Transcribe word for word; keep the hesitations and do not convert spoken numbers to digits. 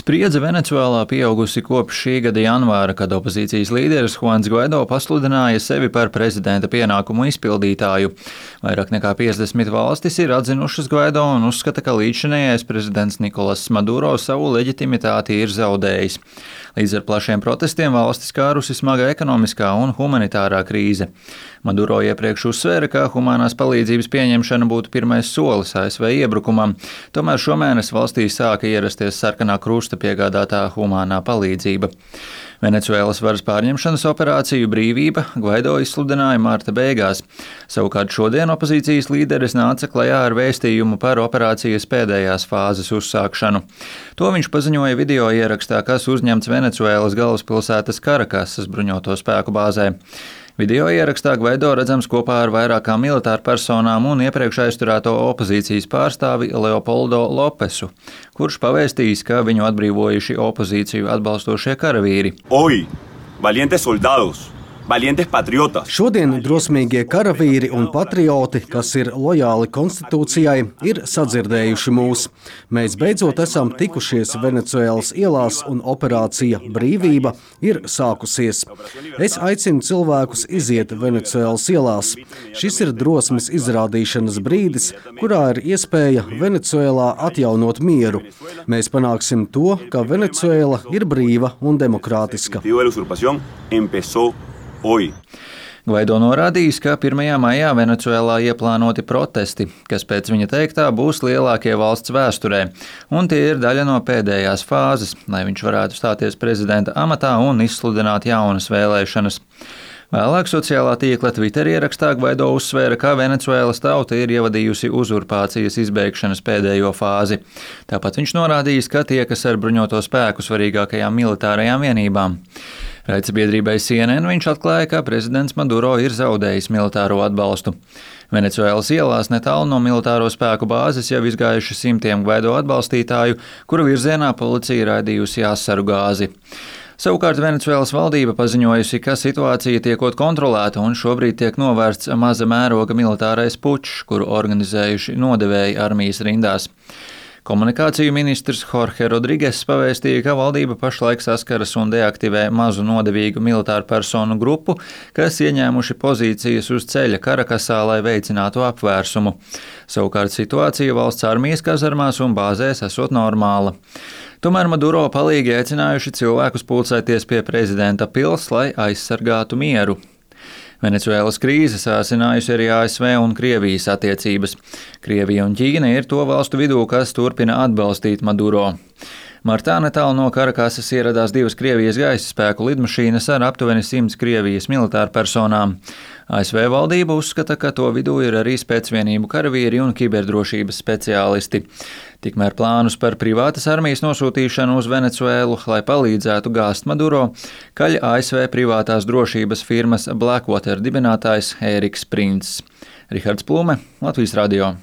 Spriedze Venecuēlā pieaugusi kopš šī gada janvāra, kad opozīcijas līderis Juans Guaido pasludināja sevi par prezidenta pienākumu izpildītāju. Vairāk nekā piecdesmit valstis ir atzinušas Guaido un uzskata, ka līdzinējais prezidents Nikolas Maduro savu leģitimitāti ir zaudējis. Līdz ar plašiem protestiem valstis kārusi smaga ekonomiskā un humanitārā krīze. Maduro iepriekš uzsvēra, ka humanās palīdzības pieņemšana būtu pirmais solis A S V iebrukumam, tomēr šomēnes valstī sāka ierasties sarkanā krusta piegādātā humānā palīdzība. Venecuēlas varas pārņemšanas operāciju Brīvība Guaido izsludināja marta beigās. Savukārt šodien opozīcijas līderis nāca klajā ar vēstījumu par operācijas pēdējās fāzes uzsākšanu. To viņš paziņoja video ierakstā, kas uzņemts Venecuēlas galvaspilsētas Karakasas bruņoto spēku bāzē. Video ierakstā Guaido redzams kopā ar vairākām militāru personām un iepriekš aizturēto opozīcijas pārstāvi Leopoldo Lopesu, kurš pavēstījis, ka viņu atbrīvojuši opozīciju atbalstošie karavīri. Hoy, valientes soldados. Valientes patriotas. Šodien drosmīgie karavīri un patrioti, kas ir lojāli konstitūcijai, ir sadzirdējuši mūs. Mēs beidzot esam tikušies Venecuēlas ielās un operācija Brīvība ir sākusies. Es aicinu cilvēkus iziet Venecuēlas ielās. Šis ir drosmes izrādīšanas brīdis, kurā ir iespēja Venecuēlā atjaunot mieru. Mēs panāksim to, ka Venecuēla ir brīva un demokrātiska. Guaido norādījis, ka pirmajā maijā Venecuēlā ieplānoti protesti, kas pēc viņa teiktā būs lielākie valsts vēsturē, un tie ir daļa no pēdējās fāzes, lai viņš varētu stāties prezidenta amatā un izsludināt jaunas vēlēšanas. Vēlāk sociālā tīkla Twitter ierakstā Guaido uzsvēra, ka Venecuēlas tauta ir ievadījusi uzurpācijas izbeigšanas pēdējo fāzi. Tāpat viņš norādījis, ka tiekas ar bruņoto spēku svarīgākajām militārajām vienībām. Raidsabiedrībai C N N viņš atklāja, ka prezidents Maduro ir zaudējis militāro atbalstu. Venecuēlas ielās netālu no militāro spēku bāzes jau izgājuši simtiem Guaido atbalstītāju, kuru virzienā policija raidījusi asaru gāzi. Savukārt Venecuēlas valdība paziņojusi, ka situācija tiekot kontrolēta un šobrīd tiek novērsts maza mēroga militārais pučs, kuru organizējuši nodevēji armijas rindās. Komunikāciju ministrs Jorge Rodrigues pavēstīja, ka valdība pašlaik saskaras un deaktivē mazu nodevīgu militāru personu grupu, kas ieņēmuši pozīcijas uz ceļa Karakasā, lai veicinātu apvērsumu. Savukārt situācija valsts armijas kazarmās un bāzēs esot normāla. Tomēr Maduro palīgi aicinājuši cilvēkus pulcēties pie prezidenta pils, lai aizsargātu mieru. Venecuēlas krīze sāsinājusi arī A S V un Krievijas attiecības. Krievija un Ķīna ir to valstu vidū, kas turpina atbalstīt Maduro. Martā netālu no Karakasas ieradās divas Krievijas gaisa spēku lidmašīnas ar aptuveni simts Krievijas militāru personām. A S V valdība uzskata, ka to vidū ir arī spēcvienību karavīri un kiberdrošības speciālisti. Tikmēr plānus par privātas armijas nosūtīšanu uz Venecuēlu, lai palīdzētu gāzt Maduro, kaļ A S V privātās drošības firmas Blackwater dibinātājs Ēriks Prints. Rihards Plume, Latvijas radio.